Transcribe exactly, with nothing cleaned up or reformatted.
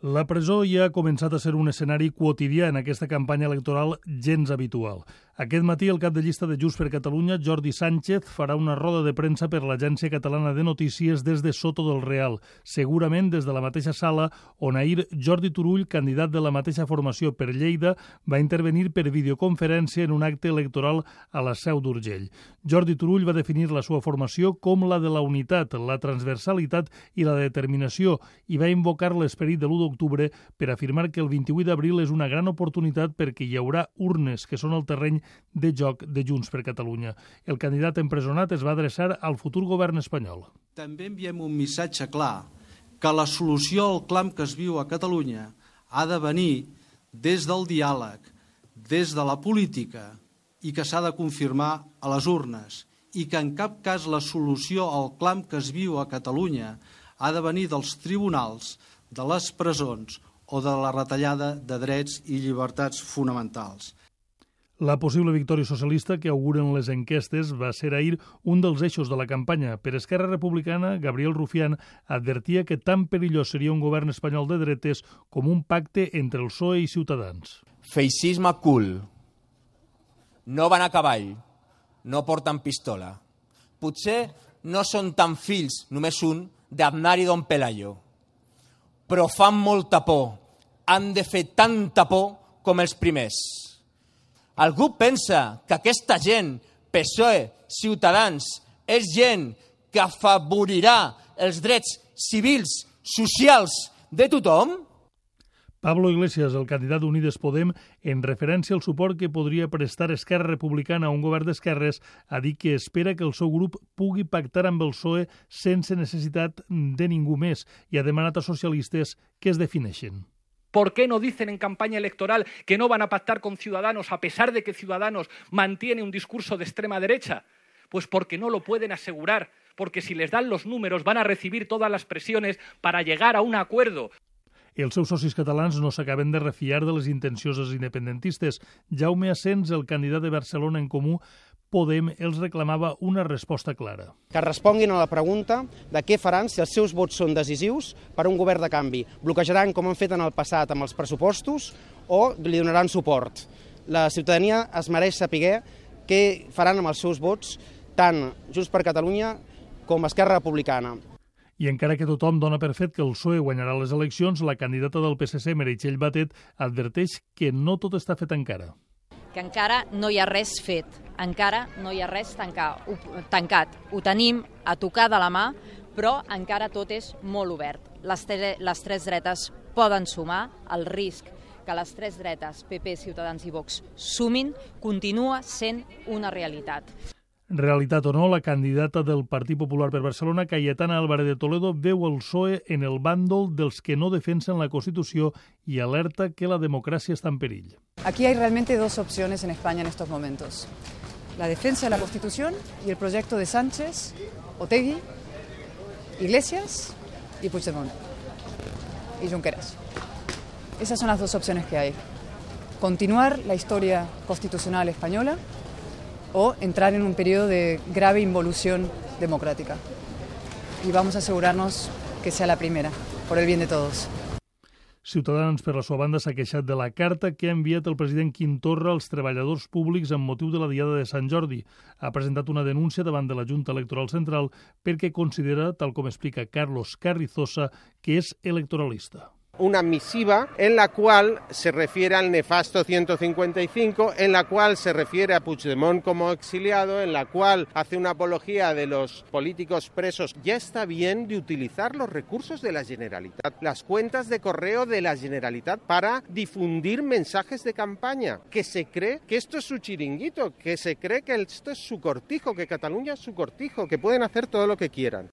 La presó ja ha començat a ser un escenari quotidià en aquesta campanya electoral gens habitual. Aquest matí el cap de llista de Junts per Catalunya, Jordi Sánchez, farà una roda de premsa per l'Agència Catalana de Notícies des de Soto del Real, segurament des de la mateixa sala on ahir Jordi Turull, candidat de la mateixa formació per Lleida, va intervenir per videoconferència en un acte electoral a la Seu d'Urgell. Jordi Turull va definir la seva formació com la de la unitat, la transversalitat i la determinació i va invocar l'esperit de l'u d'octubre per afirmar que el vint-i-vuit d'abril és una gran oportunitat perquè hi haurà urnes, que són el terreny de joc de Junts per Catalunya. El candidat empresonat es va adreçar al futur govern espanyol. També enviem un missatge clar que la solució al clam que es viu a Catalunya ha de venir des del diàleg, des de la política i que s'ha de confirmar a les urnes i que en cap cas la solució al clam que es viu a Catalunya ha de venir dels tribunals, de les presons o de la retallada de drets i llibertats fonamentals. La possible victòria socialista que auguren les enquestes va ser ahir un dels eixos de la campanya. Per Esquerra Republicana, Gabriel Rufián advertia que tan perillós seria un govern espanyol de dretes com un pacte entre el P S O E i Ciutadans. Feixisme cool. No van a cavall. No porten pistola. Potser no són tan fills, només un, d'Aznar i Don Pelayo. Però fan molta por. Han de fer tanta por com els primers. Algú pensa que aquesta gent, P S O E, Ciutadans, és gent que afavorirà els drets civils, socials de tothom? Pablo Iglesias, el candidat d'Unides Podem, en referència al suport que podria prestar Esquerra Republicana a un govern d'esquerres, ha dit que espera que el seu grup pugui pactar amb el P S O E sense necessitat de ningú més i ha demanat a socialistes que es defineixin. ¿Por qué no dicen en campaña electoral que no van a pactar con Ciudadanos a pesar de que Ciudadanos mantiene un discurso de extrema derecha? Pues porque no lo pueden asegurar, porque si les dan los números van a recibir todas las presiones para llegar a un acuerdo. Els seus socis catalans no s'acaben de refiar de les intencions dels independentistes. Jaume Asens, el candidat de Barcelona en Comú, Podem, els reclamava una resposta clara. Que responguin a la pregunta de què faran si els seus vots són decisius per a un govern de canvi. Bloquejaran, com han fet en el passat amb els pressupostos, o li donaran suport. La ciutadania es mereix saber què faran amb els seus vots tant Junts per Catalunya com Esquerra Republicana. I encara que tothom dona per fet que el P S O E guanyarà les eleccions, la candidata del P S C, Meritxell Batet, adverteix que no tot està fet encara. Que encara no hi ha res fet, encara no hi ha res tancat. Ho tenim a tocar de la mà, però encara tot és molt obert. Les, les tres dretes poden sumar, el risc que les tres dretes, P P, Ciutadans i Vox, sumin, continua sent una realitat. Realitat o no, la candidata del Partit Popular per Barcelona, Cayetana Álvarez de Toledo, veu el P S O E en el bàndol dels que no defensen la Constitució i alerta que la democràcia està en perill. Aquí hay realmente dos opciones en España en estos momentos. La defensa de la Constitución y el proyecto de Sánchez, Otegi, Iglesias y Puigdemont y Junqueras. Esas son las dos opciones que hay. Continuar la historia constitucional española o entrar en un periodo de grave involución democrática. Y vamos a asegurarnos que sea la primera, por el bien de todos. Ciutadans, per la seva banda, s'ha queixat de la carta que ha enviat el president Quim Torra als treballadors públics amb motiu de la Diada de Sant Jordi. Ha presentat una denúncia davant de la Junta Electoral Central perquè considera, tal com explica Carlos Carrizosa, que és electoralista. Una misiva en la cual se refiere al nefasto ciento cincuenta y cinco, en la cual se refiere a Puigdemont como exiliado, en la cual hace una apología de los políticos presos. Ya está bien de utilizar los recursos de la Generalitat, las cuentas de correo de la Generalitat para difundir mensajes de campaña, que se cree que esto es su chiringuito, que se cree que esto es su cortijo, que Cataluña es su cortijo, que pueden hacer todo lo que quieran.